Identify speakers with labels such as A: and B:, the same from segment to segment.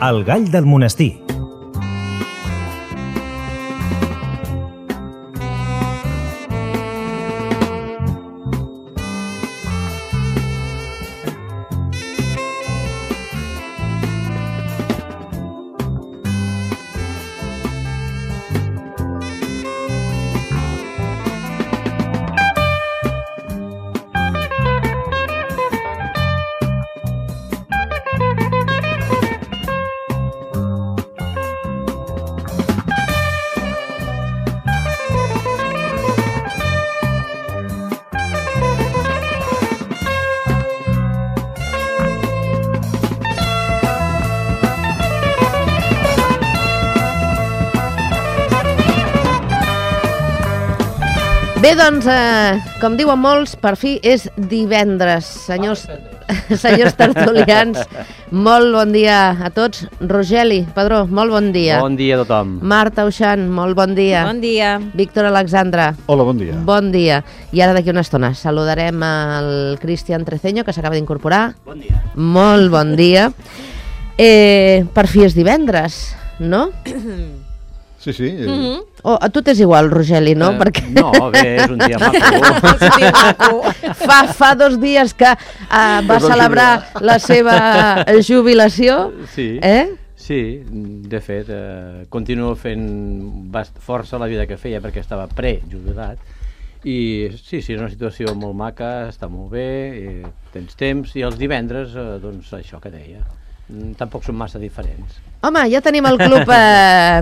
A: El gall del monestir.
B: Bé, doncs, com diuen molts, per fi és divendres. Senyors tertulians, molt bon dia a tots. Rogeli Padró, molt bon dia.
C: Bon dia a tothom.
B: Marta Uixant, molt bon dia.
D: Bon dia.
B: Víctor Alexandra.
E: Hola, bon dia.
B: Bon dia. I ara d'aquí una estona saludarem el Cristian Treceño, que s'acaba d'incorporar.
C: Bon dia.
B: Molt bon dia. Per fi és divendres, no?
E: Sí, sí.
B: Oh, a tu t'és igual, Rogeli, no? Perquè...
C: No, bé, és un dia maco.
B: Fa 2 dies que va celebrar la seva jubilació.
C: Sí, sí, de fet, continuo fent força la vida que feia perquè estava prejubilat. I sí, és una situació molt maca, està molt bé, tens temps, i els divendres, doncs això que deia. Tampoc són massa diferents.
B: Home, ja tenim el club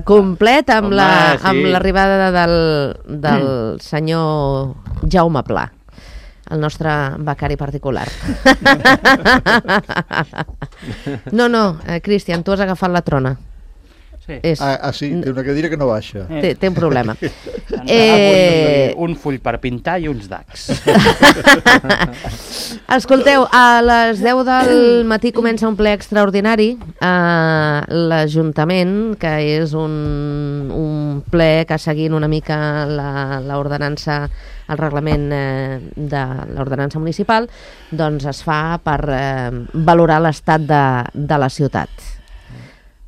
B: complet amb l'arribada del senyor Jaume Pla, el nostre becari particular. No, Cristian, tu has agafat la trona.
D: Sí.
E: Sí, té una cadira que no baixa.
B: Té un problema.
D: Un full per pintar i uns dacs.
B: Escolteu, a les 10 del matí comença un ple extraordinari a l'Ajuntament, que és un ple que seguint una mica l'ordenança, el reglament de l'ordenança municipal, doncs es fa per valorar l'estat de la ciutat.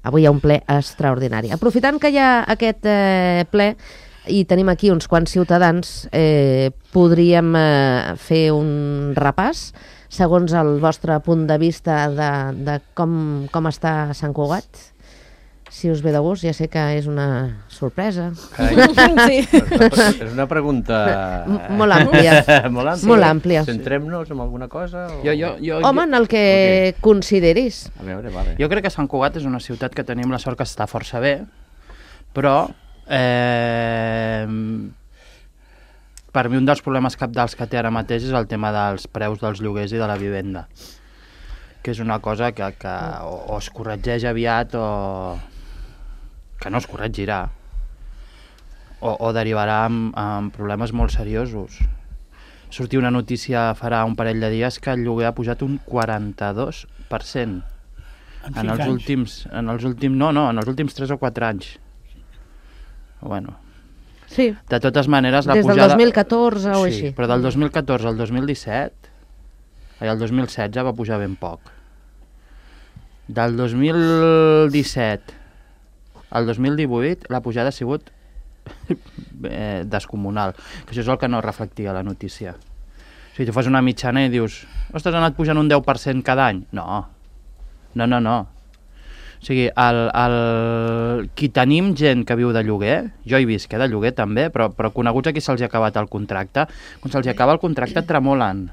B: Avui hi ha un ple extraordinari. Aprofitant que hi ha aquest ple i tenim aquí uns quants ciutadans, podríem fer un repàs, segons el vostre punt de vista de com està Sant Cugat. Si us ve de gust, ja sé que és una sorpresa.
D: Sí.
C: És una pregunta...
B: Molt àmplia. Molt àmplia.
C: Centrem-nos en alguna cosa? O...
B: Home, en el que consideris.
C: A veure, vale.
D: Jo crec que Sant Cugat és una ciutat que tenim la sort que està força bé, però per mi un dels problemes cabdals que té ara mateix és el tema dels preus dels lloguers i de la vivenda, que és una cosa que o es corregeix aviat o que no es corregirà o derivarà en problemes molt seriosos. Sortia una notícia farà un parell de dies que el lloguer ha pujat un 42% en els últims 3 o 4 anys. Bueno,
B: Sí.
D: de totes maneres la
B: Des del
D: pujada...
B: 2014 o així.
D: Sí, però del 2014 al 2017 i el 2016 va pujar ben poc. Del 2017 al 2018 la pujada ha sigut descomunal, que això és el que no reflectia la notícia. O sigui, tu fas una mitjana i dius, ostres, ha anat pujant un 10% cada any. No. O sigui, qui tenim gent que viu de lloguer, jo hi visc de lloguer també, però coneguts a qui se'ls ha acabat el contracte, quan se'ls acaba el contracte tremolen.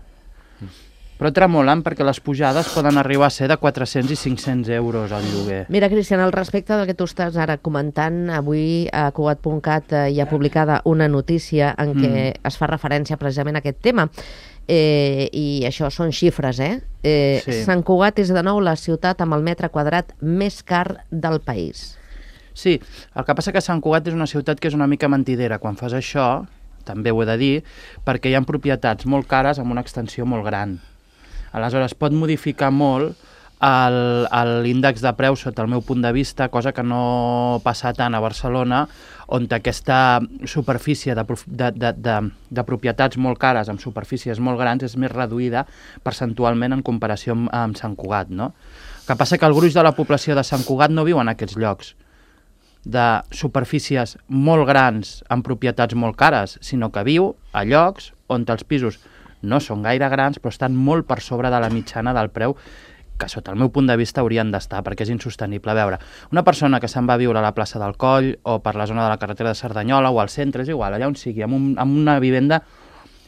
D: Però tremolen perquè les pujades poden arribar a ser de 400 i 500 euros al lloguer.
B: Mira, Cristian, al respecte del que tu estàs ara comentant, avui a Cugat.cat hi ha publicada una notícia en què es fa referència precisament a aquest tema. I això són xifres,
D: Sí.
B: Sant Cugat és de nou la ciutat amb el metre quadrat més car del país.
D: Sí, el que passa que Sant Cugat és una ciutat que és una mica mentidera. Quan fas això, també ho he de dir, perquè hi ha propietats molt cares amb una extensió molt gran. Aleshores, pot modificar molt l'índex de preus sota el meu punt de vista, cosa que no passa tant a Barcelona, on aquesta superfície de propietats molt cares amb superfícies molt grans és més reduïda percentualment en comparació amb Sant Cugat, no? El que passa que el gruix de la població de Sant Cugat no viu en aquests llocs de superfícies molt grans amb propietats molt cares, sinó que viu a llocs on els pisos no són gaire grans però estan molt per sobre de la mitjana del preu que sota el meu punt de vista haurien d'estar, perquè és insostenible. A veure, una persona que se'n va a viure a la plaça del Coll o per la zona de la carretera de Cerdanyola o al centre, és igual, allà on sigui, amb una vivenda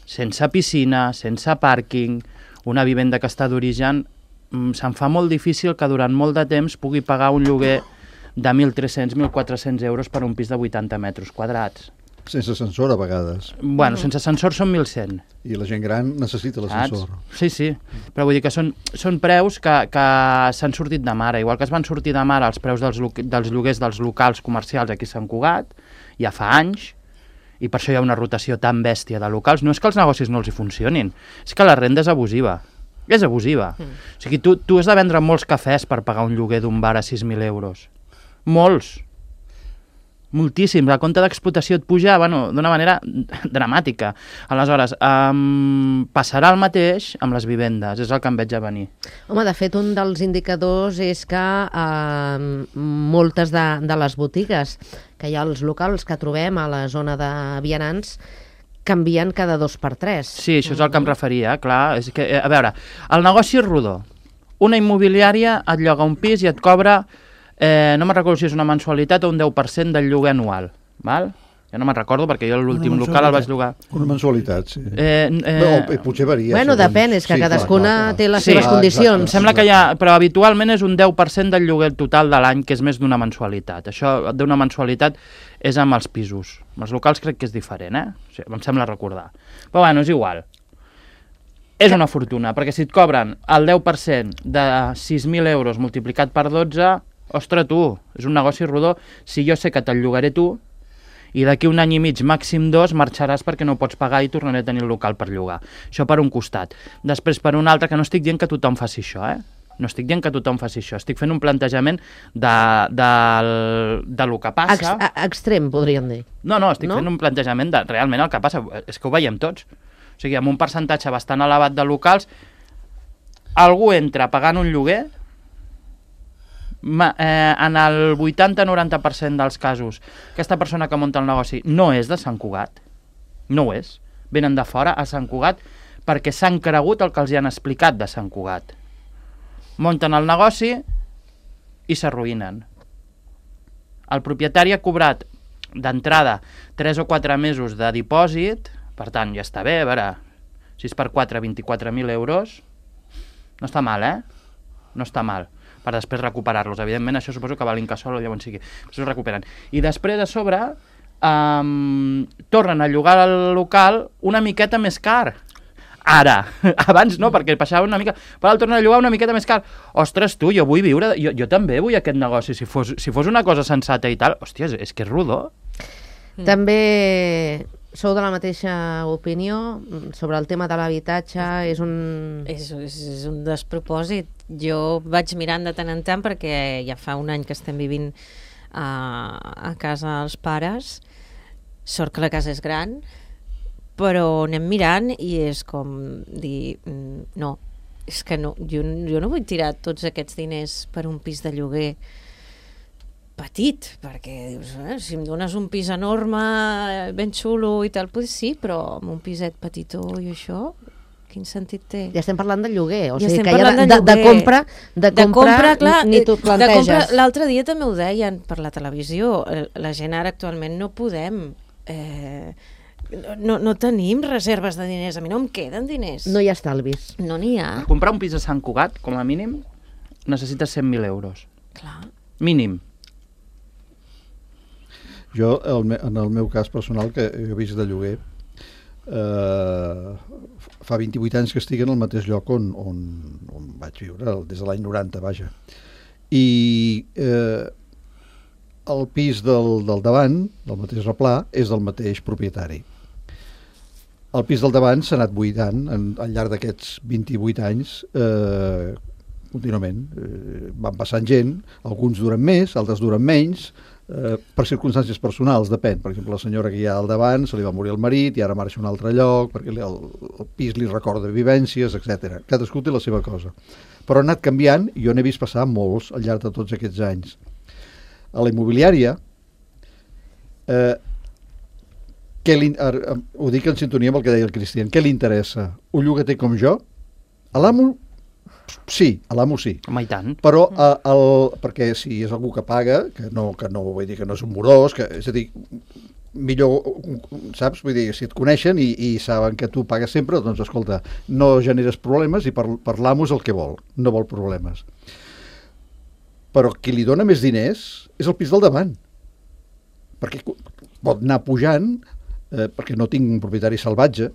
D: sense piscina, sense pàrquing, una vivenda que està d'origen, se'n fa molt difícil que durant molt de temps pugui pagar un lloguer de 1.300-1.400 euros per un pis de 80 metres quadrats.
E: Sense ascensor, a vegades.
D: Bueno, sense ascensor són 1.100.
E: I la gent gran necessita l'ascensor.
D: Sí, sí. Però vull dir que són preus que s'han sortit de mare. Igual que es van sortir de mare els preus dels lloguers dels locals comercials aquí a Sant Cugat, ja fa anys, i per això hi ha una rotació tan bèstia de locals. No és que els negocis no els hi funcionin, és que la renda és abusiva. És abusiva. O sigui, tu has de vendre molts cafès per pagar un lloguer d'un bar a 6.000 euros. Molts. Moltíssim. La compte d'explotació et puja d'una manera dramàtica. Aleshores, passarà el mateix amb les vivendes, és el que em veig a venir.
B: Home, de fet, un dels indicadors és que moltes de les botigues que hi ha als locals que trobem a la zona de vianants canvien cada 2 per 3.
D: Sí, això és el que em referia, clar. És que, a veure, el negoci és rodó. Una immobiliària et lloga un pis i et cobra... no me'n recordo si és una mensualitat o un 10% del lloguer anual, val? Ja no me'n recordo perquè jo l'últim local el vaig llogar.
E: Una mensualitat, sí. Potser varia.
B: Bueno, depèn, és que cadascuna té les seves condicions.
D: Em sembla que però habitualment és un 10% del lloguer total de l'any, que és més d'una mensualitat. Això d'una mensualitat és amb els pisos. Amb els locals crec que és diferent, O sigui, em sembla recordar. Però bueno, és igual. És una fortuna, perquè si et cobren el 10% de 6.000 euros multiplicat per 12... Ostres, tu, és un negoci rodó. Si jo sé que te'l llogaré tu i d'aquí un any i mig, màxim 2, marxaràs perquè no pots pagar i tornaré a tenir el local per llogar. Això per un costat. Després, per un altre, que no estic dient que tothom faci això, No estic dient que tothom faci això. Estic fent un plantejament de lo que passa.
B: Extrem, podríem dir.
D: No, estic fent un plantejament de realment el que passa. És que ho veiem tots. O sigui, amb un percentatge bastant elevat de locals, algú entra pagant un lloguer. En el 80-90% dels casos aquesta persona que munta el negoci no és de Sant Cugat, no ho és, venen de fora a Sant Cugat perquè s'han cregut el que els hi han explicat de Sant Cugat, munten el negoci i s'arruïnen. El propietari ha cobrat d'entrada 3 o 4 mesos de dipòsit, per tant ja està bé, a veure, 6 per 4, 24.000 euros, no està mal, no està mal, per després recuperar-los. Evidentment, això suposo que va a l'incasòl o llavors sigui. Això ho recuperen. I després, a sobre, tornen a llogar el local una miqueta més car. Ara. Abans no, perquè passava una mica... Però el tornen a llogar una miqueta més car. Ostres, tu, jo vull viure... Jo també vull aquest negoci. Si fos una cosa sensata i tal... Hòstia, és que és rodó.
B: També... Sou de la mateixa opinió sobre el tema de l'habitatge? És un
A: despropòsit. Jo vaig mirant de tant en tant perquè ja fa un any que estem vivint a casa dels pares. Sort que la casa és gran, però anem mirant i és com dir no, és que no, jo no vull tirar tots aquests diners per un pis de lloguer petit, perquè dius, si em dones un pis enorme, ben xulo i tal, pues sí, però amb un piset petitó i això, quin sentit té?
B: Ja estem parlant de lloguer, o sigui
A: estem
B: que ja de compra clar, ni t'ho planteges.
A: L'altre dia també ho deien per la televisió, la gent ara actualment no podem... No tenim reserves de diners, a mi no em queden diners.
B: No hi ha estalvis.
A: No n'hi ha.
D: Comprar un pis a Sant Cugat, com a mínim, necessites 100.000 euros.
A: Clar.
D: Mínim.
E: Jo, en el meu cas personal, que he vist de lloguer, fa 28 anys que estic en el mateix lloc on vaig viure, des de l'any 90, vaja. I el pis del davant, del mateix replà, és del mateix propietari. El pis del davant s'ha anat buidant al llarg d'aquests 28 anys contínuament. Van passant gent, alguns duren més, altres duren menys, per circumstàncies personals, depèn. Per exemple, la senyora que hi ha al davant se li va morir el marit i ara marxa a un altre lloc perquè el pis li recorda vivències, etc. Cadascú té la seva cosa. Però ha anat canviant i jo n'he vist passar molts al llarg de tots aquests anys. A la immobiliària, ho dic en sintonia amb el que deia el Cristian, què li interessa? Un llogater com jo? A l'amo? Sí, a l'amo sí.
D: Home, i tant.
E: Però perquè si és algú que paga, que no vull dir que no és un morós, és a dir, millor, saps? Vull dir, si et coneixen i saben que tu pagues sempre, doncs escolta, no generes problemes i per l'amo és el que vol, no vol problemes. Però qui li dona més diners és el pis del davant, perquè pot anar pujant, perquè no tinc un propietari salvatge,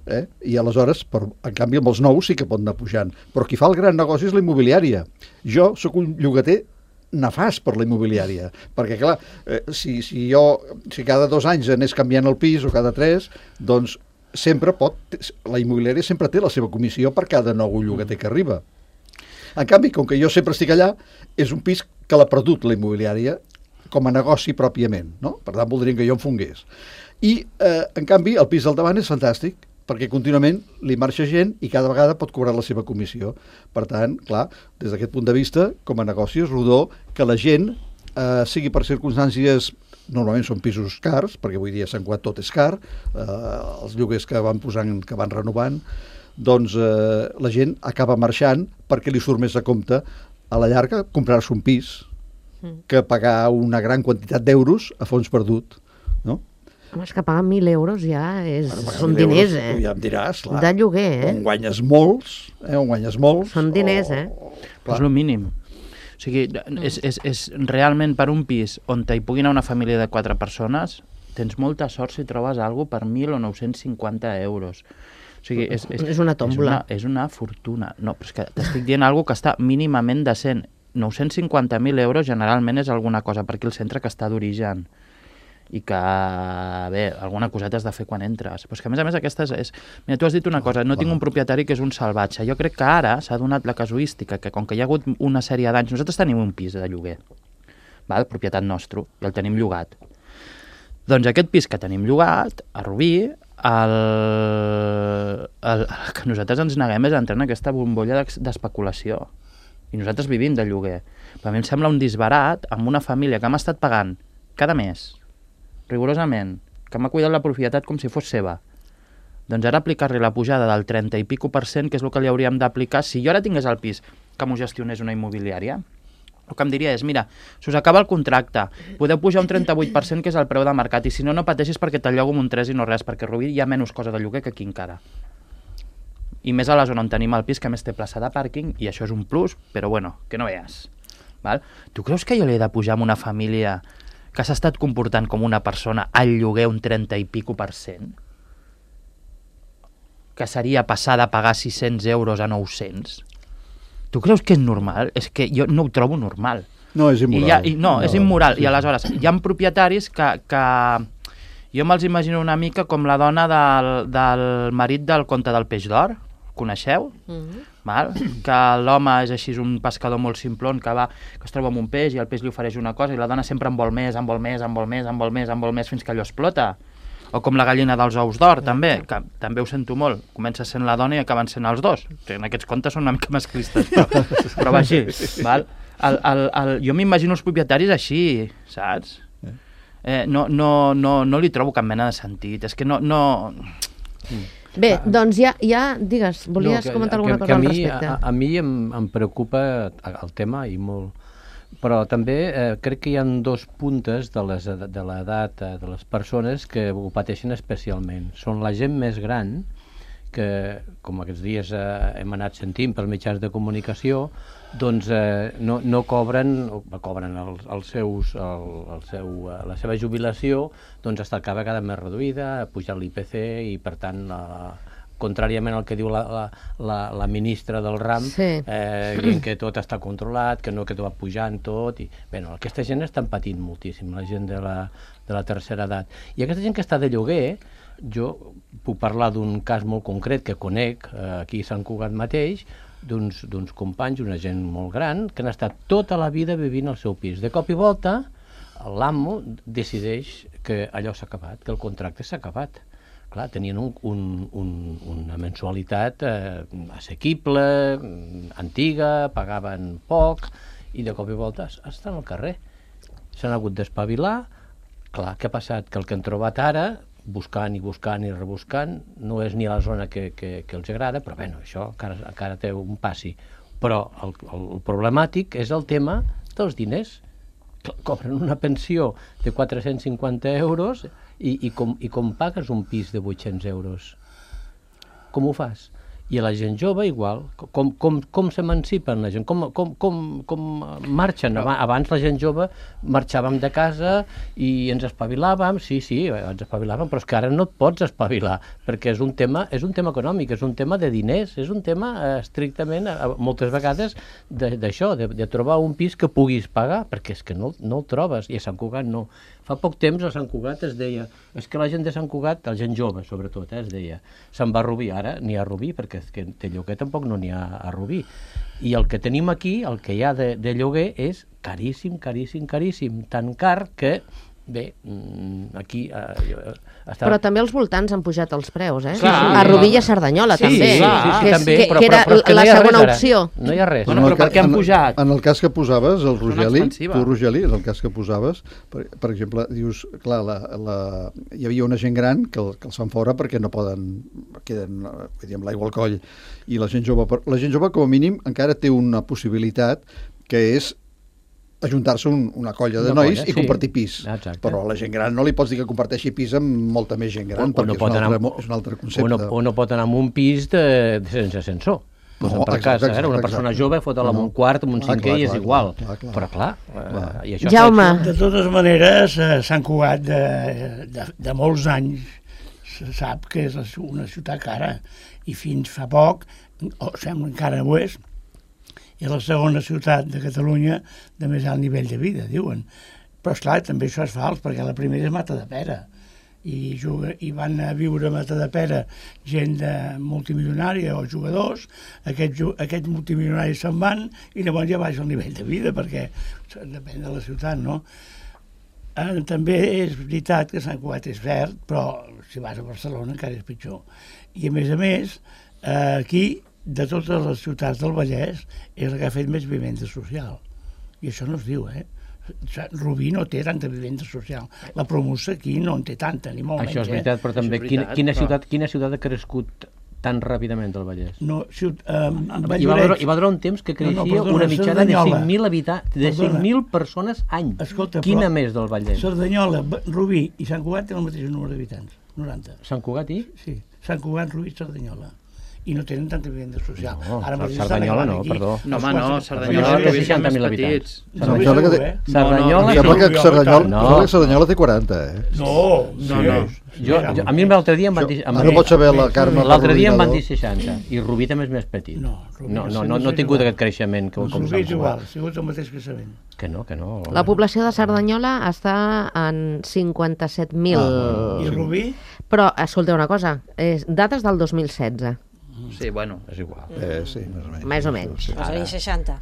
E: i aleshores, en canvi, amb els nous sí que pot anar pujant. Però qui fa el gran negoci és la immobiliària. Jo sóc un llogater nefast per la immobiliària, perquè, clar, si cada 2 anys anés canviant el pis o cada 3, doncs la immobiliària sempre té la seva comissió per cada nou llogater que arriba. En canvi, com que jo sempre estic allà, és un pis que l'ha perdut la immobiliària com a negoci pròpiament, no? Per tant, voldrien que jo em fongués. I, en canvi, el pis del davant és fantàstic, perquè contínuament li marxa gent i cada vegada pot cobrar la seva comissió. Per tant, clar, des d'aquest punt de vista, com a negoci és rodó que la gent, sigui per circumstàncies, normalment són pisos cars, perquè avui dia Sant Cugat tot és car, els lloguers que van posant, que van renovant, doncs la gent acaba marxant perquè li surt més a compte a la llarga comprar-se un pis que pagar una gran quantitat d'euros a fons perdut, no?
B: Home, és que pagar 1.000 euros ja són diners,
E: Ja em diràs, clar.
B: De lloguer,
E: On guanyes molts,
B: Són diners,
D: És el mínim. O sigui, és realment per un pis on hi pugui anar una família de 4 persones, tens molta sort si trobes alguna per 1.000 o 950 euros. O sigui,
B: és una tòmbola.
D: És una fortuna. No, però és que t'estic dient alguna que està mínimament decent. 950.000 euros generalment és alguna cosa per aquí al centre que està d'origen i que, bé, alguna coseta has de fer quan entres. Però és que, a més, aquesta és... Mira, tu has dit una cosa, no tinc un propietari que és un salvatge. Jo crec que ara s'ha donat la casuística que, com que hi ha hagut una sèrie d'anys... Nosaltres tenim un pis de lloguer, val? Propietat nostre, i el tenim llogat. Doncs aquest pis que tenim llogat, a Rubí, el que nosaltres ens neguem és entrar en aquesta bombolla d'especulació. I nosaltres vivim de lloguer. Però a mi em sembla un disbarat amb una família que m'ha estat pagant cada mes, rigorosament, que m'ha cuidat la propietat com si fos seva. Doncs ara aplicar-li la pujada del 30 i pico %, que és el que li hauríem d'aplicar, si jo ara tingués el pis que m'ho gestionés una immobiliària, el que em diria és, mira, si us acaba el contracte, podeu pujar un 38%, que és el preu de mercat, i si no, no pateixis perquè te'l llogo amb un 3 i no res, perquè a Rubí hi ha menys cosa de lloguer que aquí encara. I més a la zona on tenim el pis, que més té plaça de pàrquing, i això és un plus, però bueno, que no veies. Val? Tu creus que jo li he de pujar amb una família que s'ha estat comportant com una persona al lloguer un 30 i pico %? Que seria passar de pagar 600 euros a 900? Tu creus que és normal? És que jo no ho trobo normal.
E: No, és immoral.
D: És immoral. I aleshores, hi ha propietaris que jo me'ls imagino una mica com la dona del marit del conte del peix d'or, coneixeu? Val? Que l'home és així un pescador molt simplon que es troba amb un peix i el peix li ofereix una cosa i la dona sempre en vol més, fins que allò explota. O com la gallina dels ous d'or, també, que també ho sento molt. Comença sent la dona i acaben sent els dos. En aquests contes són una mica masclistes, però va així. Val? Jo m'imagino els propietaris així, saps? No li trobo cap mena de sentit. És que no...
B: Bé, doncs ja digues, volies comentar alguna cosa al respecte?
C: A mi em preocupa el tema i molt, però també crec que hi ha 2 puntes de l'edat de les persones que ho pateixen especialment. Són la gent més gran, que com aquests dies hem anat sentint pels mitjans de comunicació, doncs no cobren la seva jubilació, doncs està cada vegada més reduïda, ha pujat l'IPC i per tant contràriament al que diu la ministra del RAM, dient que tot està controlat, que va pujant tot, i aquesta gent estan patint moltíssim, la gent de la tercera edat. I aquesta gent que està de lloguer, jo puc parlar d'un cas molt concret que conec aquí a Sant Cugat mateix, d'uns companys, una gent molt gran, que han estat tota la vida vivint al seu pis. De cop i volta l'amo decideix que allò s'ha acabat, que el contracte s'ha acabat. Clar, tenien una mensualitat assequible, antiga, pagaven poc, i de cop i volta estan al carrer. S'han hagut d'espavilar. Clar, què ha passat? Que el que han trobat ara, buscant i rebuscant, no és ni a la zona que els agrada, però bueno, això encara té un passi. Però el problemàtic és el tema dels diners. Cobren una pensió de 450 euros i com pagues un pis de 800 euros? Com ho fas? I a la gent jove igual, com s'emancipen la gent, com marxen. Abans la gent jove marxàvem de casa i ens espavilàvem, sí, ens espavilàvem, però és que ara no et pots espavilar, perquè és un tema econòmic, és un tema de diners, és un tema estrictament, moltes vegades, d'això, de trobar un pis que puguis pagar, perquè és que no el trobes, i a Sant Cugat no. Fa poc temps a Sant Cugat es deia, és que la gent de Sant Cugat, la gent jove sobretot, es deia, se'n va a Rubí, ara n'hi ha a Rubí, perquè és que de lloguer tampoc no n'hi ha a Rubí. I el que tenim aquí, el que hi ha de lloguer, és caríssim, tan car que, bé, aquí...
B: Però també als voltants han pujat els preus, eh?
D: Clar,
B: a Rubí i a Cerdanyola, també.
C: Sí, també,
B: que era la segona opció.
C: No hi ha res.
D: Bueno, però per què han pujat?
E: En el cas que posaves, el Rogeli,
D: expansiva.
E: tu, Rogeli, en el cas que posaves, per exemple, dius, clar, hi havia una gent gran que els fan fora perquè no poden, queden amb l'aigua al coll, i la gent jove, com a mínim, encara té una possibilitat que és ajuntar-se una colla de nois i compartir pis.
C: Exacte.
E: Però a la gent gran no li pots dir que comparteixi pis amb molta més gent gran, perquè és un altre concepte.
C: O no pot anar en un pis sense ascensor. Per casa, una persona jove fot-la en un quart, en un cinquè, i és igual. Però clar, i això...
B: Jaume.
F: De totes maneres, Sant Cugat de molts anys se sap que és una ciutat cara, i fins fa poc, o sembla encara ho és la segona ciutat de Catalunya de més alt nivell de vida, diuen. Però esclar, també això és fals, perquè la primera és Matadepera, i van a viure a Matadepera gent multimilionària o jugadors, aquests multimilionaris se'n van i llavors ja baixa el nivell de vida, perquè depèn de la ciutat, no? També és veritat que Sant Cugat és verd, però si vas a Barcelona encara és pitjor. I a més, aquí, de totes les ciutats del Vallès, és la que ha fet més vivenda social. I això no es diu, Rubí no té tanta vivenda social. La Promusa aquí no en té tanta, ni molt menys.
C: Això és veritat, però també quina ciutat ha crescut tan ràpidament al Vallès?
F: No,
C: Hi va durar un temps que creixia una mitjana de 5.000 habitants, de 5.000 persones any.
F: Escolta,
C: quina més del Vallès?
F: Cerdanyola, Rubí i Sant Cugat tenen el mateix número d'habitants, 90.
C: Sant Cugat i?
F: Sí, Sant Cugat, Rubí i Cerdanyola. I no tenen tanta vivenda social.
C: No, Cerdanyola no, perdó.
D: No, home, no, Cerdanyola
C: té 60.000 habitants.
E: Cerdanyola té 40,
F: No.
C: A mi l'altre dia em van dir...
E: No pots saber la Carme...
C: L'altre dia em van dir 60, i Rubí també és més petit.
F: No
C: ha tingut aquest creixement com Sant
F: Rubí és
C: Cugat.
F: igual, ha sigut el mateix creixement.
C: Que no.
B: La població de Cerdanyola està en 57.000.
F: I Rubí?
B: Però, escolta una cosa, dades del 2016.
D: Sí, bueno.
C: És igual.
E: Sí,
B: Més o menys.
A: És a dir, 60.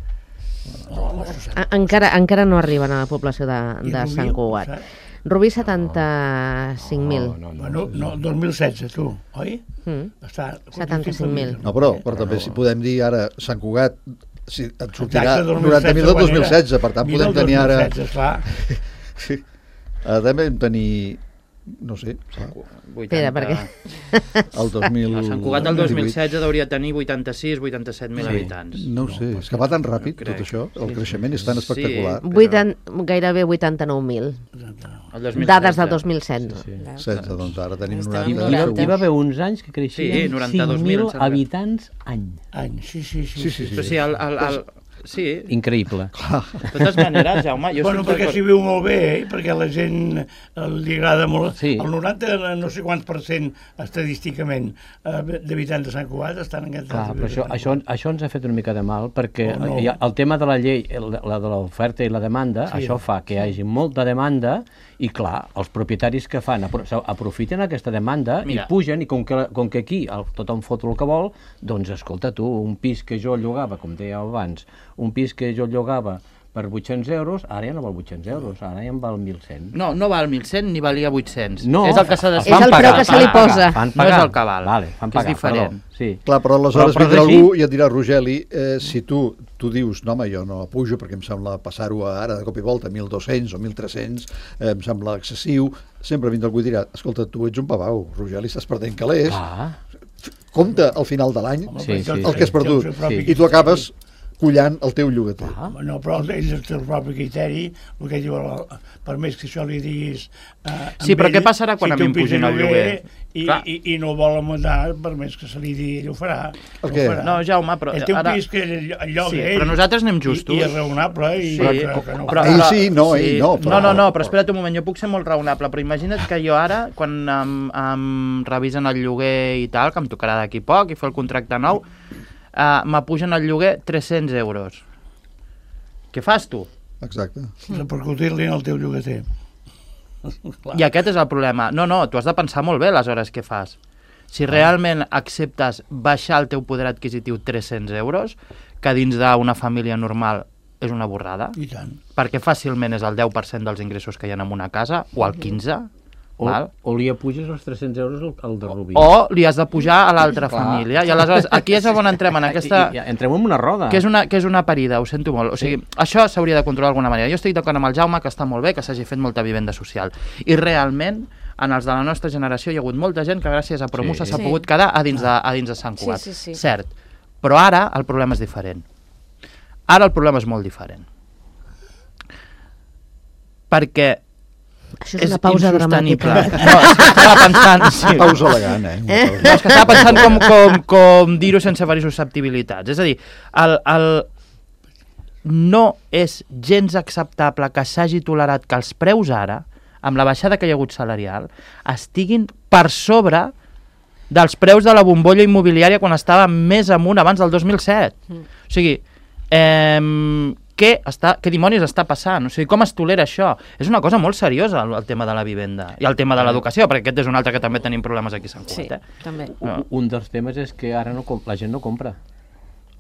B: Encara no arriben a la població de Sant Cugat. Rubí, 75.000.
F: Bueno, no, 2016, tu, oi? Està
B: 75.000.
E: No, però també si podem dir ara Sant Cugat, si et sortirà 90.000 del 2016, per tant podem tenir ara... També vam tenir... No sé,
B: Espera, perquè...
E: El 2000...
D: Sant Cugat del 2016 hauria de tenir 86-87.000 habitants.
E: No ho sé, és que va tan ràpid tot això, el creixement és tan espectacular.
B: Gairebé 89.000. Dades del 2016.
E: 16, doncs ara tenim
A: 90.
C: Hi va haver uns anys que creixien 5.000 habitants any.
F: Sí.
D: Però sí, sí.
C: Increïble.
D: De totes maneres, Jaume...
F: Bueno, perquè s'hi viu molt bé, perquè a la gent li agrada molt...
C: Sí.
F: El 90, no sé quants % estadísticament d'habitants de Sant Cugat estan en aquest...
C: Clar, però això ens ha fet una mica de mal, perquè el tema de la llei, la de l'oferta i la demanda, això fa que hi hagi molta demanda i, clar, els propietaris que fan aprofiten aquesta demanda i pugen, i com que aquí tothom fot el que vol, doncs, escolta, tu, un pis que jo llogava, com deia abans, un pis que jo llogava per 800 euros, ara ja no val 800 euros, ara ja en val 1.100.
D: No val 1.100 ni valia 800.
C: No,
D: és el que s'ha de...
B: És el preu que se li posa.
D: No és el que val,
C: Vale, fan
D: que és
C: pagar,
D: diferent.
C: perdó, sí.
E: Clar, però aleshores
C: Però
E: vindrà
C: és així.
E: algú i et dirà, Rogeli, si tu dius, no home, jo no pujo perquè em sembla passar-ho ara de cop i volta a 1.200 o 1.300, em sembla excessiu, sempre vindrà algú i dirà, escolta, tu ets un pavau, Rogeli, estàs perdent calés, compta al final de l'any
C: Sí, sí,
E: el que has perdut,
C: sí.
E: i tu acabes collant el teu llogater.
F: No, però ell té el propi criteri, el que diu, per més que això li diguis...
D: Sí, però què passarà quan a mi em pugin el lloguer?
F: I no vol amuntar, per més que se li digui, ell ho farà.
E: Per què?
D: No, Jaume, però...
F: El teu pis que el lloga
D: Sí,
F: ell.
D: però nosaltres anem justos.
F: I és raonable.
D: Sí,
F: que no
D: però,
E: Ell sí, no, ell no.
D: No, però espera't un moment, jo puc ser molt raonable, però imagina't que jo ara, quan em revisen el lloguer i tal, que em tocarà d'aquí poc i fer el contracte nou, m'apugen el lloguer 300 euros. Què fas tu?
E: Exacte.
F: repercutir-li en el teu llogater.
D: I aquest és el problema. No, tu has de pensar molt bé les hores que fas. Si realment acceptes baixar el teu poder adquisitiu 300 euros, que dins d'una família normal és una borrada,
F: I tant.
D: perquè fàcilment és el 10% dels ingressos que hi ha en una casa, o el 15%,
C: O li apuges els 300 euros al de Rubí.
D: o li has de pujar a l'altra família. I aleshores, aquí és on entrem en aquesta...
C: Entrem en una roda.
D: Que és una parida, ho sento molt. O sigui, això s'hauria de controlar d'alguna manera. Jo estic d'acord amb el Jaume, que està molt bé, que s'hagi fet molta vivenda social. I realment, en els de la nostra generació hi ha hagut molta gent que gràcies a Promusa s'ha pogut quedar a dins de Sant Cugat.
A: Sí.
D: Cert. Però ara el problema és diferent. Ara el problema és molt diferent. Perquè
B: Això és una pausa dramàtica.
D: No, és que estava pensant... Sí.
E: Pausa elegant, eh?
D: No, és que estava pensant com dir-ho sense ferir susceptibilitats. És a dir, no és gens acceptable que s'hagi tolerat que els preus ara, amb la baixada que hi ha hagut salarial, estiguin per sobre dels preus de la bombolla immobiliària quan estava més amunt abans del 2007. O sigui, què dimonis està passant? O sigui, com es tolera això? És una cosa molt seriosa, el tema de la vivenda i el tema de l'educació, perquè aquest és un altre que també tenim problemes aquí a Sant Cugat.
A: També.
C: Un dels temes és que ara la gent no compra.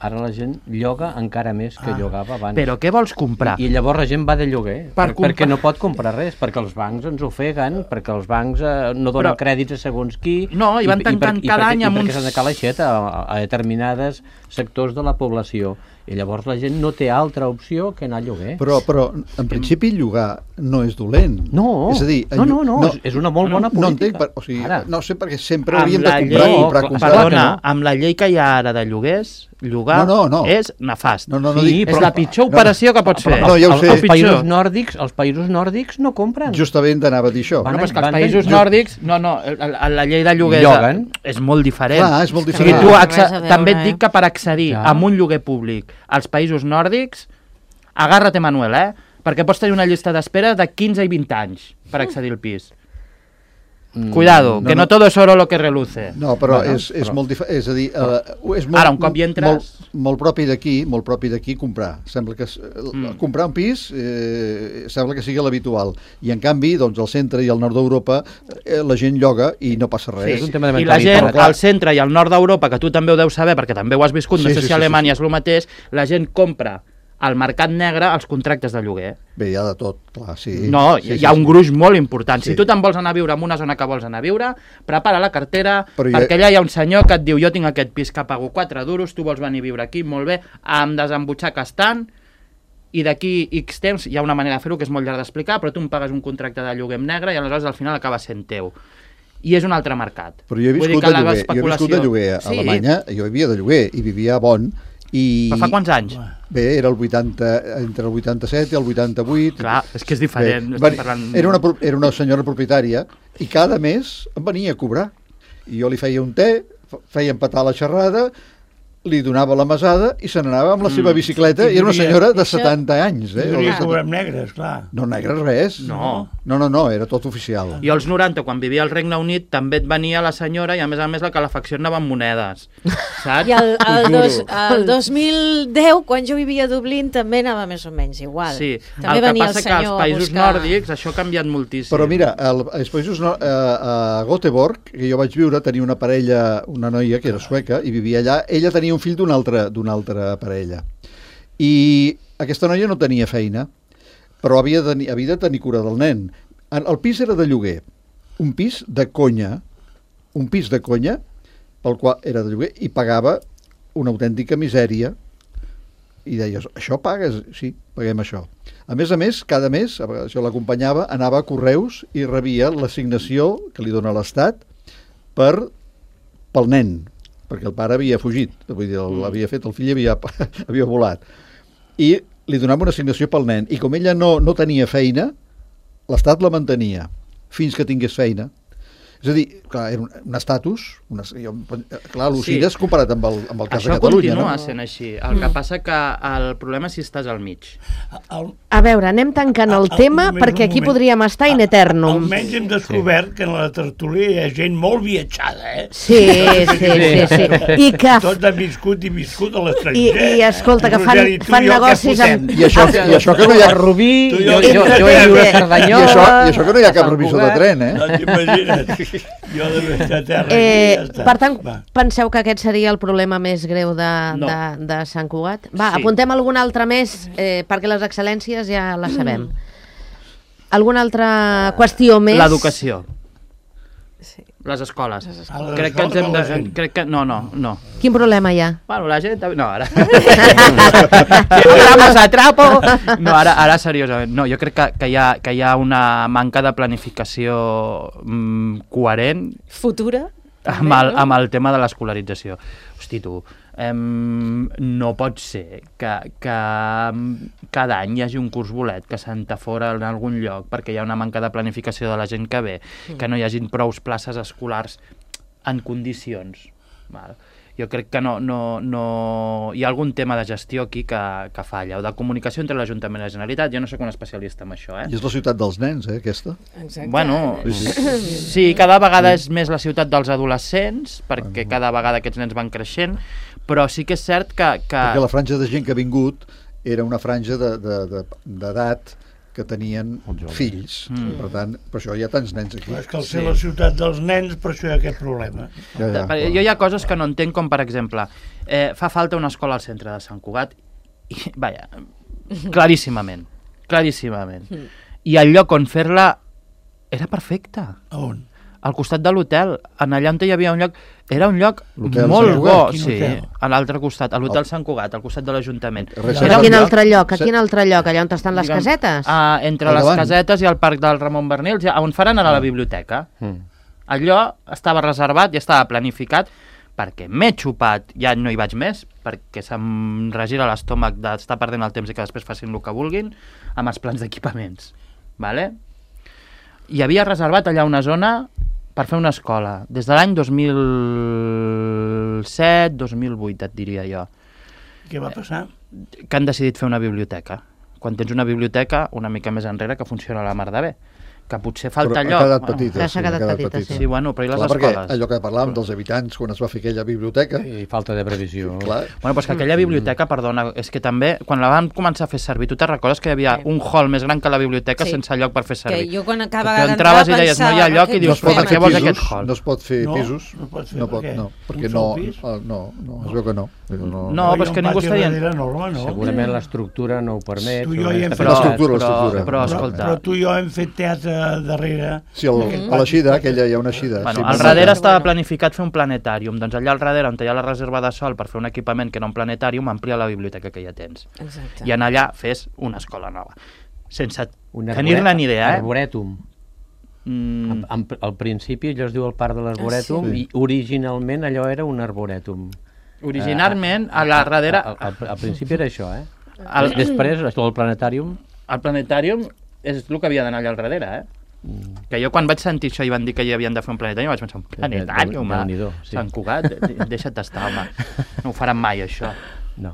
C: Ara la gent lloga encara més que llogava abans.
D: Però què vols comprar?
C: I llavors la gent va de lloguer,
D: Per
C: perquè no pot comprar res, perquè els bancs ens ofeguen, perquè els bancs no donen crèdits a segons qui...
D: No, i van tancant cada any amb uns...
C: I perquè s'han de calar aixeta a determinades sectors de la població. I llavors la gent no té altra opció que anar a lloguer.
E: Però en principi llogar no és dolent.
C: No,
E: és a dir,
C: és una molt bona política.
E: No entenc, o sigui, no sé perquè sempre
D: Amb
E: hauríem de
D: la
E: comprar.
D: Perdona, amb la llei que hi ha ara de lloguers, llogar és nefast. És la pitjor operació que pots fer.
E: No, ja ho sé.
C: Els països nòrdics no compren.
E: Justament anava a dir això.
D: Bueno, però és que els països nòrdics, la llei de lloguers és molt diferent.
E: Clar, és molt
D: O
E: diferent.
D: sigui, també et dic que per accedir a un lloguer públic als països nòrdics, agárrate, Manuel, perquè pots tenir una llista d'espera de 15 i 20 anys per accedir al pis. Cuidado, que no todo es oro lo que reluce.
E: No, però és molt diferent, és a dir, és molt,
D: ara, un cop hi entres...
E: molt propi d'aquí comprar. Sembla que comprar un pis sembla que sigui l'habitual. I en canvi, doncs, al centre i al nord d'Europa la gent lloga i no passa res.
C: És un tema de
D: I la gent
C: mentalitat.
D: al centre i al nord d'Europa, que tu també ho deus saber perquè també ho has viscut, no sé si a Alemanya és el mateix, la gent compra al mercat negre els contractes de lloguer.
E: Bé, hi ha de tot, clar, sí.
D: No, hi ha un gruix molt important. Si tu te'n vols anar a viure en una zona que vols anar a viure, prepara la cartera, perquè allà hi ha un senyor que et diu jo tinc aquest pis que pago 4 duros, tu vols venir a viure aquí, molt bé, em desembutxaques tant, i d'aquí X temps hi ha una manera de fer-ho que és molt llarg d'explicar, però tu em pagues un contracte de lloguer en negre i aleshores al final acaba sent teu. I és un altre mercat.
E: Però jo he viscut de lloguer a Alemanya, jo vivia de lloguer i vivia a Bonn.
D: Però fa quants anys?
E: Bé, era entre el 87 i el 88.
D: Clar, és que és diferent.
E: Era una senyora propietària i cada mes em venia a cobrar. I jo li feia un te, feia empatar la xerrada, li donava la mesada i se n'anava amb la seva bicicleta i era una senyora de 70 anys.
F: I donia cobrar negres, clar.
E: No, negres res.
D: No,
E: era tot oficial.
D: I als 90, quan vivia al Regne Unit, també et venia la senyora i a més la calefacció anava amb monedes. Saps?
A: I el 2010, quan jo vivia a Dublín, també anava més o menys igual.
D: Sí,
A: també
D: el que
A: venia
D: passa que als països nòrdics això ha canviat moltíssim.
E: Però mira, als països a Göteborg, que jo vaig viure, tenia una parella, una noia que era sueca i vivia allà, ella tenia un fill d'una altra parella. I aquesta noia no tenia feina, però havia de tenir cura del nen. El pis era de lloguer, un pis de conya, pel qual era de lloguer, i pagava una autèntica misèria, i deies, això pagues? Sí, paguem això. A més, cada mes, jo l'acompanyava, anava a Correus i rebia l'assignació que li dona l'Estat pel nen, perquè el pare havia fugit, vull dir, l'havia fet, el fill havia volat. I li donava una assignació pel nen, i com ella no tenia feina, l'Estat la mantenia fins que tingués feina. És a dir, clar, era un estatus, clar, l'Ucires comparat amb el cas de Catalunya.
D: Això continua sent així. El que passa que el problema és si estàs al mig.
B: A veure, anem tancant el tema perquè aquí podríem estar in eternum.
F: Almenys hem descobert que en la tertúlia hi ha gent molt viatjada, eh?
B: Sí. I que...
F: Tots han viscut a l'estranger.
B: I escolta, que fan negocis amb...
E: I això que no hi ha...
C: Rubí, jo he viure a Cerdanyola...
E: I això que no hi ha cap revisor de tren, eh?
F: No t'imagines? Jo de besta terra ja està.
B: Per tant, penseu que aquest seria el problema més greu de Sant Cugat? Va, sí. Apuntem alguna altra més, perquè les excel·lències ja les sabem. Alguna altra qüestió més?
D: L'educació.
A: Sí.
D: Les escoles.
F: Crec que ens hem de...
D: Crec que... No.
B: Quin problema hi ha?
D: Bueno, la gent... No, ara... Programes a trapo! No, ara seriosament. No, jo crec que hi ha una manca de planificació coherent...
A: Futura?
D: Amb el tema de l'escolarització. Hosti, tu, no pot ser que cada any hi hagi un curs bolet que s'entafora en algun lloc perquè hi ha una manca de planificació de la gent que ve, que no hi hagin prous places escolars en condicions. Val. Jo crec que no hi ha algun tema de gestió aquí que falla, o de comunicació entre l'Ajuntament i la Generalitat. Jo no soc un especialista en això,
E: I és la ciutat dels nens, aquesta?
A: Exacte.
D: Bueno, sí, cada vegada és més la ciutat dels adolescents, perquè cada vegada aquests nens van creixent, però sí que és cert que...
E: Perquè la franja de gent que ha vingut era una franja d'edat que tenien fills. Per tant, per això hi ha tants nens aquí.
F: És que al ser la ciutat dels nens, per això hi ha aquest problema.
D: Jo hi ha coses que no entenc, com per exemple, fa falta una escola al centre de Sant Cugat, i, vaja, claríssimament. I el lloc on fer-la era perfecte.
F: A on?
D: Al costat de l'hotel, allà on hi havia un lloc... Era un lloc
E: Sant
D: molt bo,
E: Cugat?
D: sí, a l'altre costat, a l'hotel Sant Cugat, al costat de l'Ajuntament.
B: A quin altre lloc? Allà on estan les casetes?
D: Entre les casetes i el parc del Ramon Bernils, on faran ara la biblioteca. Allò estava reservat i estava planificat perquè m'he xupat, ja no hi vaig més, perquè se'm regira l'estómac d'estar perdent el temps i que després facin el que vulguin, amb els plans d'equipaments. Vale? Hi havia reservat allà una zona per fer una escola, des de l'any 2007-2008, et diria jo.
F: Què va passar?
D: Que han decidit fer una biblioteca. Quan tens una biblioteca una mica més enrere que funciona a la mar de bé, que potser falta
E: però
D: allò.
E: Ha quedat petita,
B: s'ha quedat petita, sí.
D: Sí, bueno, però i les
E: escoles?
D: escoles?
E: Allò que parlàvem dels habitants quan es va fer aquella biblioteca...
C: I falta de previsió.
E: Clar.
D: Bueno, doncs que aquella biblioteca, perdona, és que també, quan la van començar a fer servir, tu te'n recordes que hi havia un hall més gran que la biblioteca sense lloc per fer servir?
A: Que jo quan acaba
D: tu entraves i deies, no hi ha lloc, i dius, per què vols aquest hall?
E: No es pot fer pisos.
F: No pot fer,
E: perquè no, es veu que no.
D: No, però és que ningú està dient...
C: Segurament l'estructura no ho permet.
D: Però, escolta...
F: Però tu i jo hem fet teatre darrere.
E: Sí, a l'Eixida, aquella hi ha una Eixida.
D: Bueno, al darrere estava planificat fer un planetàrium, doncs allà al darrere, on hi ha la reserva de sol per fer un equipament que era un planetàrium, amplia la biblioteca que ja tens.
A: Exacte.
D: I en allà fes una escola nova. Sense tenir-ne ni idea,
C: Arborètum. Al principi allò es diu el Parc de l'Arborètum i originalment allò era un arborètum.
D: Originalment, a la darrere...
C: Al principi era això, Després, el planetàrium...
D: El planetàrium és el que havia d'anar allà al darrere, Que jo quan vaig sentir això i van dir que hi havien de fer un planetari vaig pensar, un planetari, home, Sant Cugat, deixa't estar, home, no ho faran mai això.
C: No.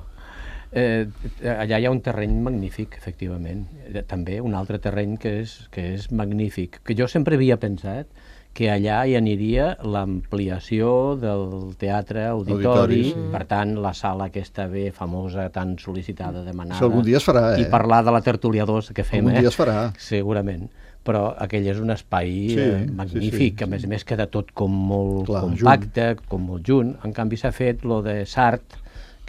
C: Allà hi ha un terreny magnífic, efectivament, també un altre terreny que és magnífic, que jo sempre havia pensat que allà hi aniria l'ampliació del teatre auditori, per tant la sala aquesta famosa, tan sol·licitada, demanada,
E: algun dia es farà,
C: i parlar de la tertúlia 2 que fem,
E: algun dia es farà,
C: segurament. Però aquell és un espai magnífic, a més queda tot com molt compacte, com molt junt. En canvi s'ha fet lo de Sart,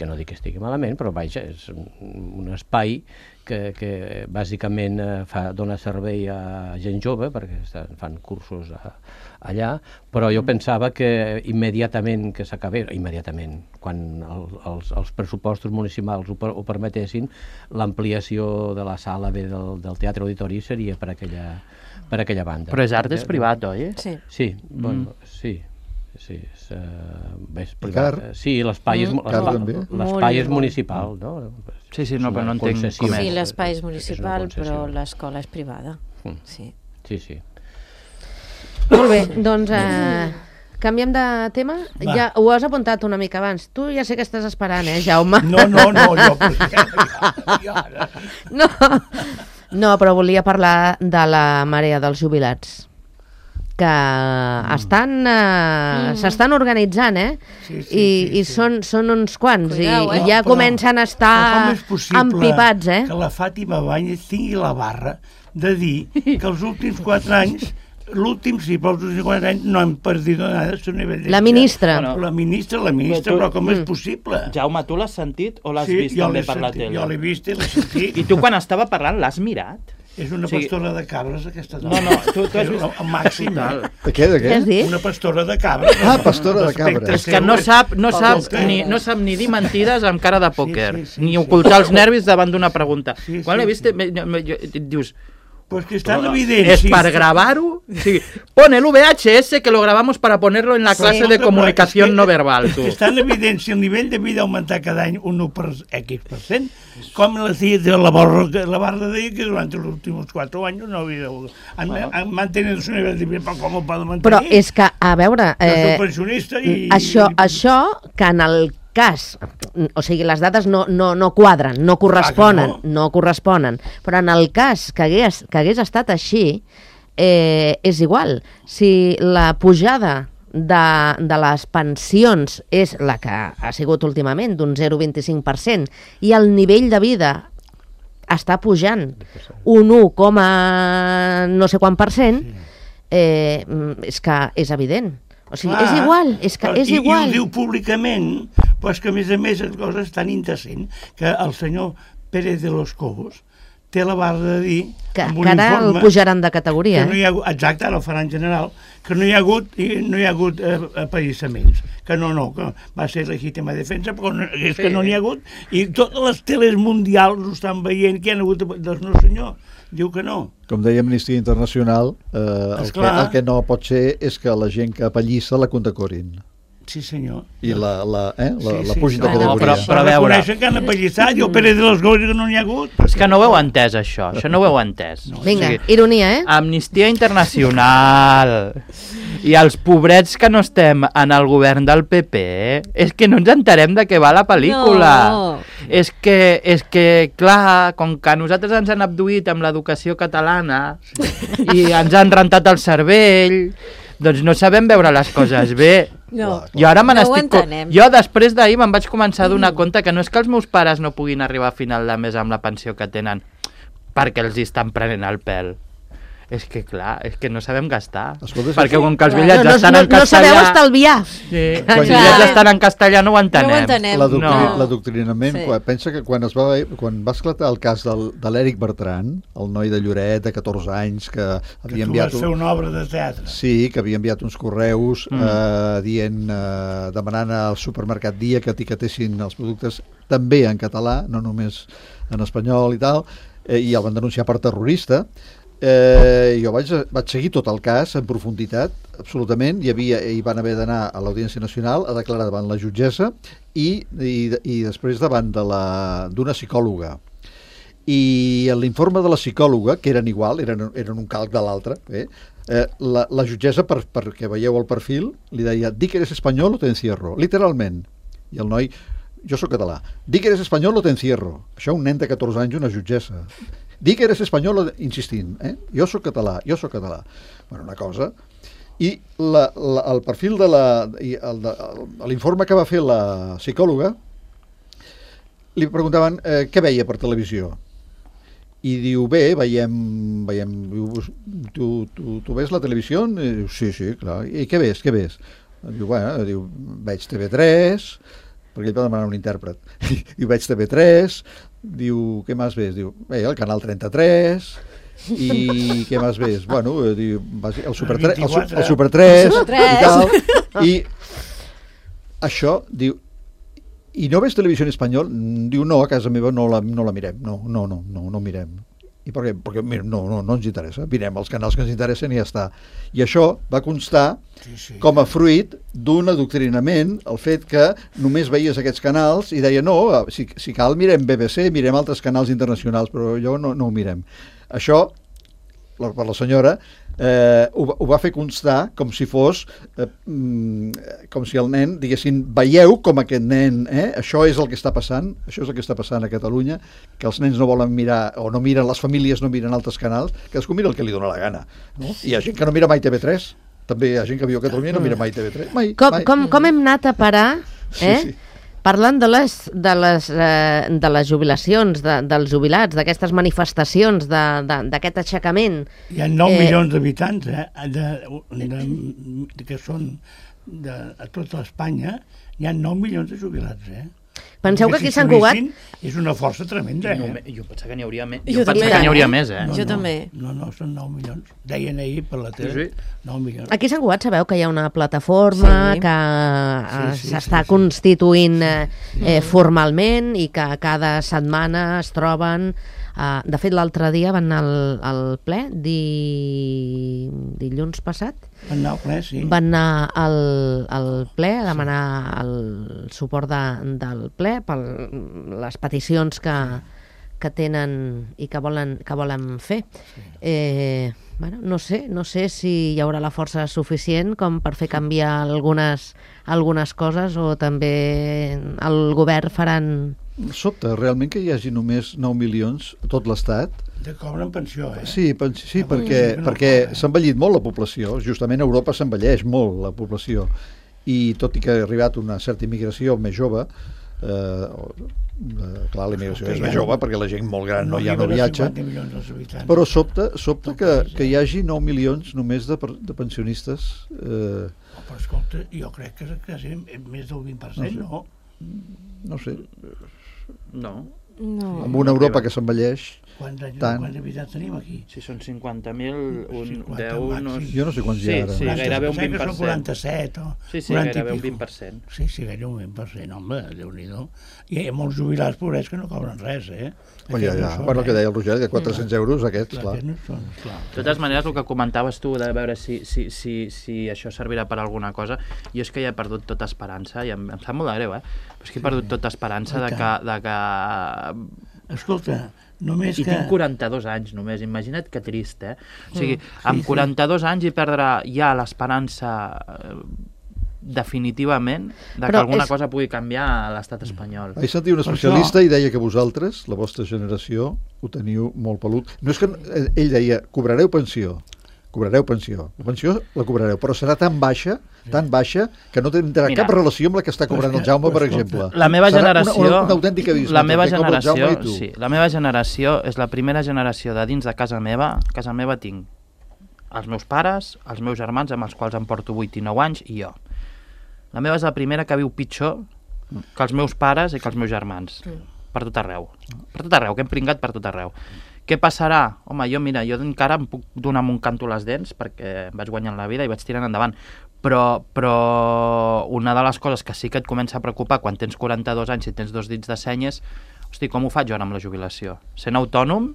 C: que no dic que estigui malament, però vaja, és un espai que bàsicament dona servei a gent jove, perquè fan cursos allà, però jo pensava que immediatament que s'acabés, quan els pressupostos municipals ho permetessin, l'ampliació de la sala B del Teatre Auditori seria per aquella banda.
D: Però és art, és privat, oi?
A: Sí.
C: Sí, bueno, sí, és privat. Sí, l'espai és municipal, no?
D: Sí, no, però no entenc com és.
A: Sí, l'espai és municipal, però l'escola és privada. Sí.
B: Molt bé, doncs canviem de tema. Ja ho has apuntat una mica abans. Tu ja sé que estàs esperant, Jaume?
F: No, jo...
B: No, però volia parlar de la marea dels jubilats, que s'estan organitzant, i són uns quants,
A: cuidao,
B: i ja comencen a estar empipats,
F: que la Fàtima Báñez tingui la barra de dir que els últims 4 anys, l'últim sí, però els últims 4 anys no hem perdut nada a nivell de...
B: La ministra.
F: La ministra, però com és possible?
D: Jaume, tu l'has sentit o l'has vist també per la tele?
F: Jo l'he vist i l'he sentit.
D: I tu quan estava parlant l'has mirat?
F: És una pastora de cabres, aquesta
D: dona. No, tu has vist...
F: El màxim.
E: De què?
B: Has dit?
F: Una pastora de cabres.
E: Ah, pastora de cabres.
D: És que no sap ni dir mentides amb cara de pòquer, ni ocultar els nervis davant d'una pregunta. Quan l'he vist, dius...
F: Pues que está en evidencia.
D: Es para grabar-ho? Sí. Pon el VHS que lo grabamos para ponerlo en la clase de comunicación no verbal.
F: Que està en evidència el nivell de vida augmentar cada any un 1%, com la barra deia que durant els últims 4 anys no havia han mantenir el seu nivell de vida, com ho poden mantenir?
B: Però és que, a veure...
F: pensionista i...
B: Això que en el cas, o sigui, les dades no quadren, no corresponen, però en el cas que hagués estat així, és igual. Si la pujada de les pensions és la que ha sigut últimament, d'un 0,25%, i el nivell de vida està pujant un 1, no sé quant %, és que és evident. O sigui, és igual, és igual.
F: I ho diu públicament, però és que a més la cosa és tan indecent que el senyor Pérez de los Cobos té la barra de dir...
B: Que ara el pujaran de categoria.
F: Exacte, ara el faran general, que no hi ha hagut apallissaments, que que va ser legítima defensa, però és que no n'hi ha hagut, i totes les teles mundials ho estan veient, que hi ha hagut... Doncs no, senyor, diu que no.
E: Com deia Amnistia Internacional, el que no pot ser és que la gent que apallissa la condecorin.
F: Sí, senyor.
E: I la pugin de categoria.
F: Però reconeixen que han apallissat, i el Pérez de les Coses que no n'hi ha hagut.
D: És que no ho heu entès, això no ho heu entès.
B: Vinga, ironia,
D: Amnistia Internacional i els pobrets que no estem en el govern del PP, és que no ens enterem de què va la pel·lícula. És que, clar, com que nosaltres ens han abduït amb l'educació catalana i ens han rentat el cervell, doncs no sabem veure les coses bé.
A: No,
D: jo ara jo després d'ahir me'n vaig començar a donar compte que no és que els meus pares no puguin arribar a final de mes amb la pensió que tenen perquè els estan prenent el pèl. És que clar, és que no sabem gastar.
E: Escolta,
D: perquè com que els bitllets estan en castellà...
B: No sabeu estalviar.
D: Sí, quan els bitllets estan en castellà no ho entenem.
E: L'adoctrinament, pensa que quan va esclatar el cas de l'Eric Bertran, el noi de Lloret de 14 anys que havia enviat...
F: Que tu vas fer una obra de teatre.
E: Sí, que havia enviat uns correus demanant al supermercat Dia que etiquetessin els productes també en català, no només en espanyol i tal, i el van denunciar per terrorista. Jo vaig seguir tot el cas en profunditat, absolutament. Hi van haver d'anar a l'Audiència Nacional a declarar davant la jutgessa i després davant d'una psicòloga. I l'informe de la psicòloga, que eren igual, eren un calc de l'altre, la jutgessa, perquè veieu el perfil, li deia: «Di que eres espanyol o te encierro», literalment. I el noi: «Jo sóc català». «Di que eres espanyol o te encierro». Això un nen de 14 anys, una jutgessa. «Di que eres espanyol», insistint, «Jo sóc català, jo sóc català». Bueno, una cosa. I el perfil de l'informe que va fer la psicòloga, li preguntaven què veia per televisió. I diu: «Bé, veiem... Tu ves la televisió?» Sí, clar. «I què ves? Diu: «Veig TV3, perquè ell va demanar un intèrpret. I veig TV3, diu, què més ves? Diu, el canal 33, i què més ves? Bueno, diu, el Super 3, el Super 3 i tal. I això, diu, i no ves televisió en espanyol? Diu, no, a casa meva no la mirem, no mirem. I per què? Perquè mira, no ens interessa, mirem els canals que ens interessen i ja està. I això va constar com a fruit d'un adoctrinament, el fet que només veies aquests canals i deia, no, si cal mirem BBC, mirem altres canals internacionals, però allò no ho mirem. Això, per la senyora, ho va fer constar com si fos com si el nen diguessin, veieu com aquest nen, això és el que està passant, això és el que està passant a Catalunya, que els nens no volen mirar, o no miren, les famílies no miren altres canals, cadascú mira el que li dona la gana, no? I hi ha gent que no mira mai TV3, també hi ha gent que viu a Catalunya i no mira mai TV3, mai.
B: Com hem anat a parar,
E: Sí.
B: Parlant de les jubilacions, dels jubilats, d'aquestes manifestacions, d'aquest aixecament...
F: Hi ha 9 milions d'habitants, que són a tota Espanya, hi ha 9 milions de jubilats,
B: Penseu que aquí a Sant Cugat...
F: És una força tremenda,
D: Jo pensava que n'hi hauria més.
A: Jo
D: Jo pensava que n'hi hauria més,
A: Jo també.
F: No, són 9 milions. Deien ahir per la tele, 9 milions.
B: Aquí a Sant Cugat sabeu que hi ha una plataforma que s'està constituint formalment i que cada setmana es troben... De fet, l'altre dia van anar al ple, dilluns passat.
F: Van anar al ple, sí.
B: Van anar al ple a demanar el suport del ple per les peticions que tenen i que volen fer. Bueno, no sé si hi haurà la força suficient com per fer canviar algunes coses o també el govern faran...
E: Sobte, realment que hi hagi només 9 milions a tot l'Estat.
F: Que cobren pensió,
E: Sí, perquè s'ha envellit molt la població. Justament a Europa s'envelleix molt la població. I tot i que ha arribat una certa immigració més jove, clar, la immigració és més jove perquè la gent molt gran no viatja, però sobta que hi hagi 9 milions només de pensionistes.
F: Però escolta, jo crec que és més del 20%, no?
E: No sé.
D: No.
E: Amb una Europa que s'envelleix
F: Quants habitants tenim aquí?
D: Si són 50.000, un 10...
E: Jo no sé quants hi ha ara.
D: Sí, gairebé un 20%.
F: Són 47 o...
D: Sí, gairebé un 20%.
F: Sí, gairebé un 20%, home, Déu-n'hi-do. I hi ha molts jubilats pobrets que no cobren res,
E: Bueno, el que deia el Roger, de 400 euros aquests, clar.
D: De totes maneres, el que comentaves tu, de veure si això servirà per alguna cosa, jo és que ja he perdut tota esperança, i em sap molt de greu, però és que he perdut tota esperança de que...
F: Escolta, només que...
D: I tinc 42 anys només, imagina't que trist, O sigui, amb 42 anys hi perdrà ja l'esperança definitivament que alguna cosa pugui canviar a l'estat espanyol.
E: Vaig sentir un especialista i deia que vosaltres, la vostra generació, ho teniu molt pelut. No és que ell deia, cobrareu pensió. La pensió la cobrareu, però serà tan baixa que no tindrà cap relació amb la que està cobrant el Jaume, per exemple.
D: La meva generació...
E: Una autèntica abisme.
D: La meva generació és la primera generació de dins de casa meva. A casa meva tinc els meus pares, els meus germans, amb els quals em porto 8 i 9 anys, i jo. La meva és la primera que viu pitjor que els meus pares i que els meus germans. Per tot arreu. Per tot arreu, que hem pringat per tot arreu. Què passarà? Home, jo encara em puc donar amb un canto les dents perquè em vaig guanyant la vida i vaig tirant endavant. Però una de les coses que sí que et comença a preocupar quan tens 42 anys i tens 2 dits de seny és, hosti, com ho faig jo ara amb la jubilació? Sent autònom,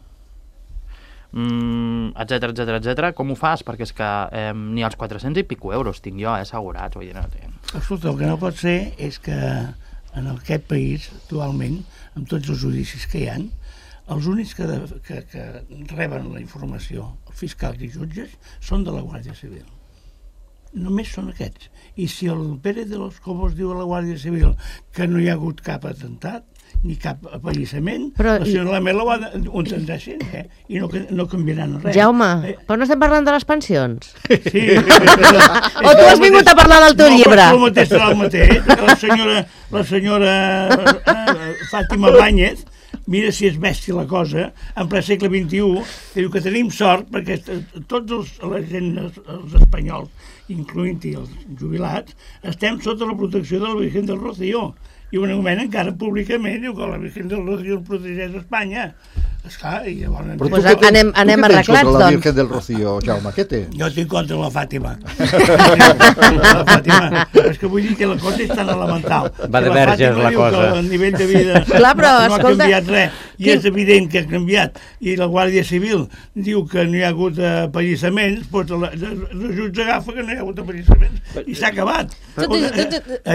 D: etcètera, com ho fas? Perquè és que ni els 400 i pico euros tinc jo assegurats.
F: Escolta, el que no pot ser és que en aquest país, actualment, amb tots els judicis que hi ha, els únics que reben la informació, els fiscals i jutges, són de la Guàrdia Civil. Només són aquests. I si el Pérez de los Cobos diu a la Guàrdia Civil que no hi ha hagut cap atemptat, ni cap apallissament, la senyora Lamela ho entendeixen, i no canviaran res.
B: Jaume, però no estem parlant de les pensions?
F: Sí.
B: O tu has vingut a parlar del teu llibre?
F: No, però el mateix serà el mateix. La senyora Fàtima Báñez, mira si és bèstia la cosa, en ple segle XXI, que diu que tenim sort perquè tots els espanyols, incloent-hi els jubilats, estem sota la protecció de la Virgen del Rocío. i un augment encara públicament, diu que la Virgen del Rocío el protegeix a Espanya. Esclar, i llavors...
E: Però
B: Pues
E: tu què
B: anem
E: tu què tens
B: arreglats,
E: contra la
B: doncs.
E: Virgen del Rocío, Jaume? Què té?
F: Jo estic contra la Fàtima. La Fàtima. És que vull dir que la cosa és tan elemental.
C: Va de verges, la cosa.
F: Que el nivell de vida
B: Clar, però,
F: no ha
B: escolta,
F: canviat res. I és evident que ha canviat. I la Guàrdia Civil diu que no hi ha hagut apallissaments, doncs els jutge agafa que no hi ha hagut apallissaments. I s'ha acabat. Hi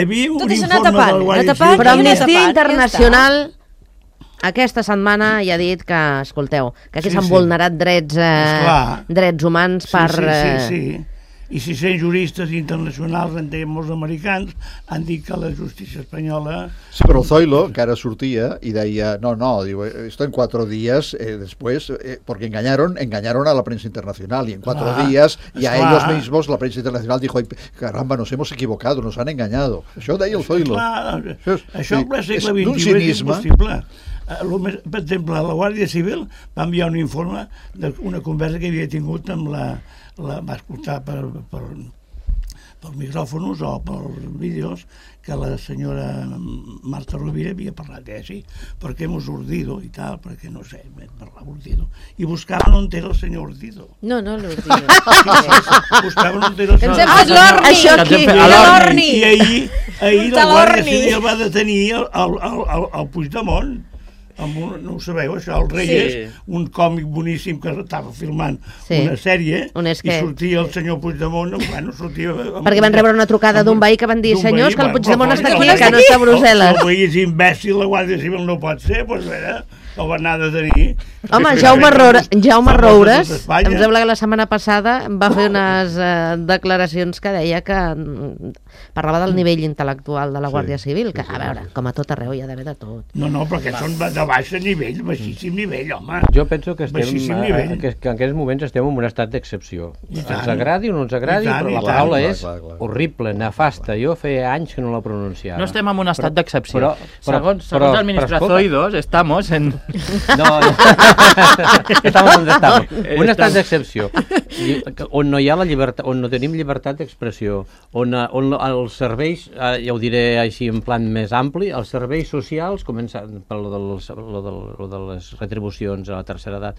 F: havia un informe de la Guàrdia Civil.
B: Però
A: Quina
B: Amnistia
A: tapat,
B: Internacional aquesta setmana ja ha dit que, escolteu, que aquí
F: Sí,
B: s'han
F: sí.
B: vulnerat drets,
F: Esclar.
B: drets humans per...
F: Sí. I 600 juristes internacionals, en deien molts americans, han dit que la justícia espanyola...
E: Sí, però el Zoilo, que ara sortia y deia, no, digo, esto en 4 días después, porque engañaron a la prensa internacional y en 4 días y a ellos mismos la prensa internacional dijo, "Ay, caramba, nos hemos equivocado, nos han engañado". Això deia el Zoilo.
F: Això en ple segle
E: d'un
F: XXI és
E: cinisme.
F: impossible. Per exemple, la Guàrdia Civil va enviar un informe d'una conversa que havia tingut amb va escoltar per micròfons o per vídeos que la senyora Marta Rovira havia parlat d'ell, perquè hemos urdido i tal, perquè no sé, parlar urdido. I buscaven on era el senyor Urdido.
A: No, l'Urdido.
F: Buscaven on era el
A: Ens
F: senyor
A: hem fet l'orni.
B: Això aquí.
A: L'orni.
F: I ahir la
A: De
F: Guàrdia
A: l'orni.
F: Civil va detenir el Puigdemont. No ho sabeu, això, el Reyes, un còmic boníssim que estava filmant una sèrie, i sortia el senyor Puigdemont, bueno, sortia...
B: Perquè van rebre una trucada d'un veí que van dir, senyors, que el Puigdemont està aquí, que no
F: està
B: està a Brussel·les.
F: El veí és imbècil, la Guàrdia Civil no pot ser, doncs mira, el van anar a detenir.
B: Home, Jaume Roures, em sembla que la setmana passada va fer unes declaracions que deia que parlava del nivell intel·lectual de la Guàrdia Civil, que, a veure, com a tot arreu hi ha d'haver de tot.
F: No, perquè són de baix nivell, baixíssim nivell, home.
C: Jo penso que estem, que en aquests moments estem en un estat d'excepció. Ens agradi o no ens agradi, però la paraula és horrible, nefasta. Jo feia anys que no la pronunciava.
D: No estem en un estat d'excepció.
C: Segons
D: el ministre Zoidos, estamos en...
C: No, estamos donde estamos. Un estat d'excepció, on no hi ha la llibertat, on no tenim llibertat d'expressió, on els serveis, ja ho diré així en plan més ampli, els serveis socials, començant per lo de les retribucions a la tercera edat,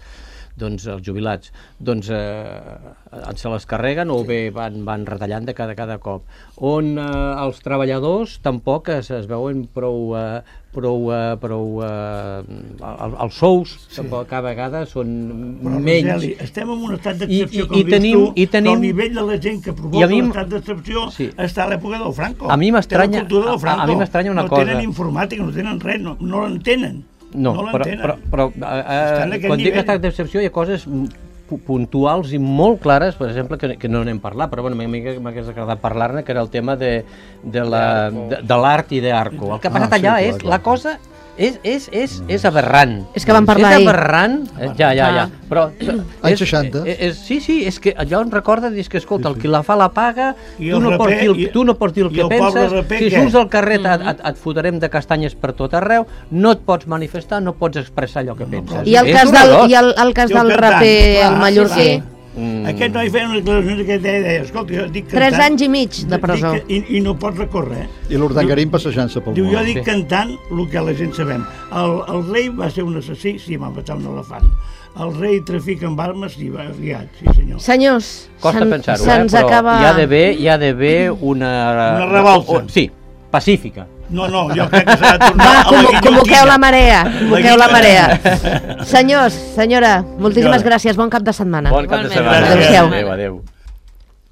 C: doncs els jubilats, doncs se les carreguen o bé van retallant de cada cop. On els treballadors tampoc es veuen prou els sous cada vegada són menys.
F: Però, Roseli, estem en un estat d'excepció, com dius tu, el nivell de la gent que provoca l'estat d'excepció està a l'època del Franco.
C: A mi m'estranya una cosa.
F: No tenen informàtica, no tenen res, no l'entenen.
C: No, però quan dic estat d'excepció hi ha coses puntuals i molt clares, per exemple, que no n'hem parlat, però bueno, m'hagués agradat parlar-ne, que era el tema de l'art i d'Arco. El que ha passat allà és la cosa... És aberrant.
B: És que vam parlar ahir.
C: És aberrant, ja. Però...
E: Anys 60.
C: Sí, és que allò em recorda, és que, escolta, el qui la fa la paga, tu no pots dir el que penses, si surts al carrer et fotrem de castanyes per tot arreu, no et pots manifestar, no pots expressar allò que penses.
B: I el cas del raper, el mallorquí?
F: Aquest noi feia unes declaracions que deia, escolta, jo dic cantant...
B: 3 anys i mig de presó.
F: I no pots recórrer.
E: I l'Urdangarín passejant-se pel món.
F: Diu, jo dic cantant el que la gent sabem. El rei va ser un assassí, sí, va matar un elefant. El rei trafica amb armes i va aviat, sí senyor.
B: Senyors,
C: costa pensar-ho,
B: però
C: acaba... hi ha d'haver una
F: revolta.
C: Sí, pacífica.
F: No, jo crec que s'ha de tornar a la
B: convoqueu la marea. Senyors, senyora, moltíssimes gràcies, bon cap de setmana.
C: Bon cap de setmana.
B: Adéu-siau.
C: Adéu.